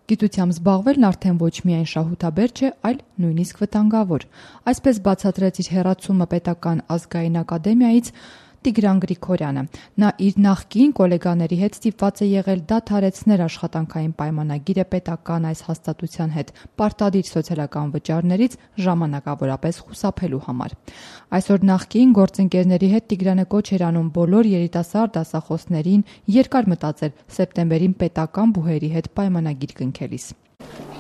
Գիտությամբ զբաղվելն արդեն ոչ միայն շահութաբեր չէ, այլ նույնիսկ վտանգավոր։ Այսպես բացատրեց իր հեռացումը Պետական ազգային ակադեմիայից Տիգրան Գրիգորյանը։ Նա իր նախկին գոլեգաների հետ ստիպված է եղել դադարեցնել աշխատանքային պայմանագիրը պետական այս հաստատության հետ պարտադիր սոցիալական վճարներից ժամանակավորապես խուսափելու համար։ Այսօր նախկին գործընկերների հետ Տիգրանը կոչ էր անում բոլոր երիտասարդ դասախոսներին երկար մտածել սեպտեմբերին պետական բուհերի հետ պայմանագիր կնքելիս։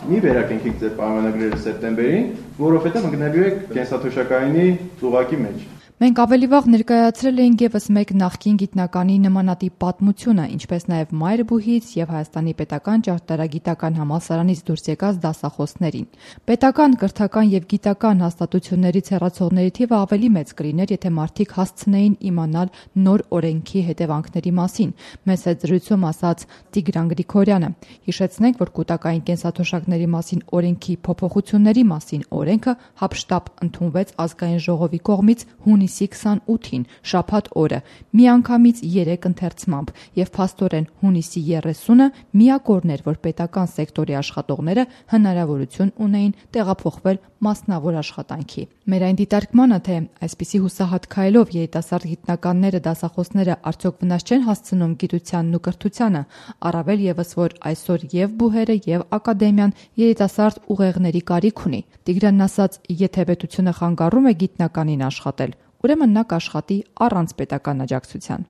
Մի վերակնքեք ձեր պայմանագրերը սեպտեմբերին, որովհետև ընկնելու եք կենսաթոշակայինի ծուղակի մեջ։ Մենք ավելի վաղ ներկայացրել էինք ևս մեկ նախկին գիտնականի նմանատիպ պատմությունը, ինչպես նաև Մայրբուհից եւ Հայաստանի պետական ճարտարագիտական համալսարանից դուրս եկած դասախոսներին։ Պետական, կրթական եւ գիտական հաստատություններից հեռացողների թիվը ավելի մեծ կլիներ, եթե մարդիկ հասցնեին իմանալ նոր օրենքի հետևանքների մասին, մեծ հետ զրույցում ասաց Տիգրան Գրիգորյանը։ Հիշեցնենք, որ կൂട്ടակային կենսաթոշակների մասին օրենքի փոփոխությունների մասին օրենքը հապշտապ ընդունվեց ազգային ժողովի կողմից հունիսի 28-ին, շաբաթ օրը, միանգամից 3 ընթերցմամբ եւ փաստորեն հունիսի 30-ը միակ օրն էր, որ պետական սեկտորի աշխատողները հնարավորություն ունեին տեղափոխվել մասնավոր աշխատանքի։ Մեր այն դիտարկմանը, թե այսպիսի հուսահատ քայլով երիտասարդ գիտնականները, դասախոսները արդյոք վնաս չեն հասցնում գիտությանն ու կրթությանը, առավել եւս որ այսօր եւ բուհերը եւ ակադեմիան երիտասարդ ուղեղների կարիք ունի։ Տիգրանն ասաց, եթե պետությունը խանգարում է գիտնականին աշխատել, ուրեմն նա կաշխատի առանց պետական աջակցության։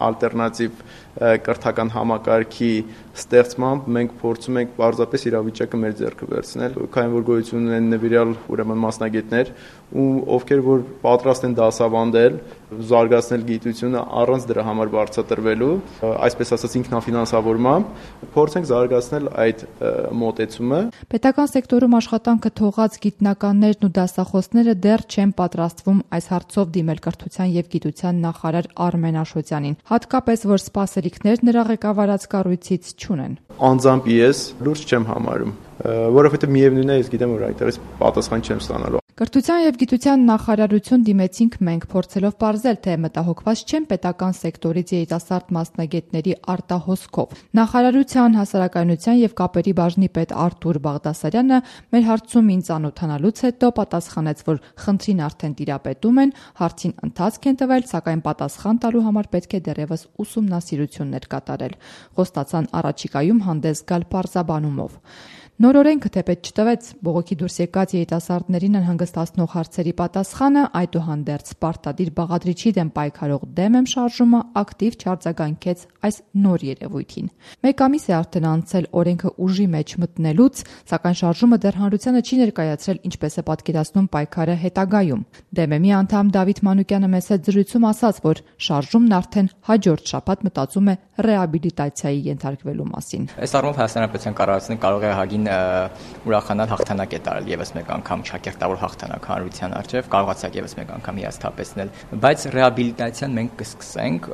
Ալտերնատիվ կրթական համակարգի ստեղծմամբ մենք փորձում ենք պարզապես իրավիճակը մեր ձեռքը վերցնել, քանի որ գոյություն ունեն նվիրյալ ուրեմն մասնագետներ, ովքեր որ պատրաստ են դասավանդել, զարգացնել գիտությունը առանց դրա համար վարձատրվելու, այսպես ասած ինքնաֆինանսավորմամբ, փորձենք զարգացնել այդ մոտեցումը։ Պետական սեկտորում աշխատանքը թողած գիտնականներն ու դասախոսները դեռ չեն պատրաստվում այս հարցով դիմել կրթության եւ գիտության նախարար Արմեն Աշոտյանին, հատկապես որ սպասելիքներ նրա ղեկավարած կառույցից չունեն։ Անձամբ ես լուրջ չեմ համարում, որովհետեւ միևնույն է, ես գիտեմ, որ այդտեղից պատասխան չեմ ստանալու։ Կրթության եւ գիտության նախարարություն դիմեցինք մենք, փորձելով պարզել, թե մտահոգված չեն պետական սեկտորից երիտասարդ մասնագետների արտահոսքով։ Նախարարության հասարակայնության եւ կապերի բաժնի պետ Արտուր Բաղդասարյանը մեր հարցումին ծանոթանալուց հետո պատասխանեց, որ խնդրին արդեն տիրապետում են, հարցին ընթացք են տվել, սակայն պատասխան տալու համար պետք է դեռևս ուսումնասիրություններ կատարել։ Խոստացան առաջիկայում հանդես գալ պարզաբանումով։ Նոր օրենքը թեպետ չտվեց բողոքի դուրս եկած երիտասարդներին անհանգստացնող հարցերի պատասխանը, այդուհանդերձ պարտադիր բաղադրիչի դեմ պայքարող դեմ եմ շարժումը ակտիվ չարձագանքեց այս նոր երևույթին։ Մեկ ամիս է արդեն անցել օրենքը ուժի մեջ մտնելուց, սակայն շարժումը դեռ հանրությանը չի ներկայացրել ինչպես է պատկերացնում պայքարը հետագայում։ Դեմեմի անդամ Դավիթ Մանուկյանը մեծ հետ զրույցում ասաց, որ շարժումն արդեն հաջորդ շաբաթ մտածում է ռեաբիլիտացիայի ենթարկվելու մասին։ Այս առումով Հայաստանական կառավարությունը կարող է հագին ուրախանալ հաղթանակ է տարել եւս մեկ անգամ շակերտավոր հաղթանակ հանրության առջև, կարողացակ եւս մեկ անգամ հիասթափեցնել, բայց ռեաբիլիտացիան մենք կսկսենք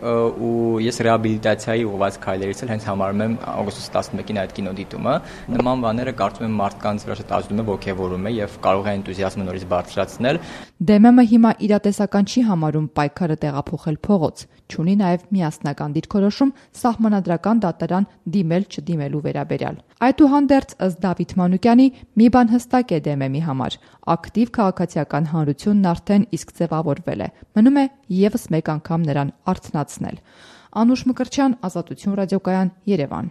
ու ես ռեաբիլիտացիայի ուղղված քայլերից էլ հենց համարում եմ օգոստոսի 11-ին այդ կինոդիտումը։ Նման բաները կարծում եմ մարդկանց վրա շատ ազդում է, ոգևորում է եւ կարող է էնտուզիազմը նորից բարձրացնել։ Դեմեմը հիմա իրատեսական չի համարում պայքարը տեղափոխել փողոց, չունի նաեւ միասնական դիրքորոշում սահմանադրական դատարան դիմել-չդիմելու վերաբերյալ։ Այդուհանդերձ ըստ Դավիթ Մանուկյանի մի բան հստակ է դեմեմի համար. ակտիվ քաղաքացիական հանրությունն արդեն իսկ ձևավորվել է։ Մնում է եւս մեկ անգամ նրան արթնացնել։ Անուշ Մկրտչյան, Ազատություն ռադիոկայան, Երևան։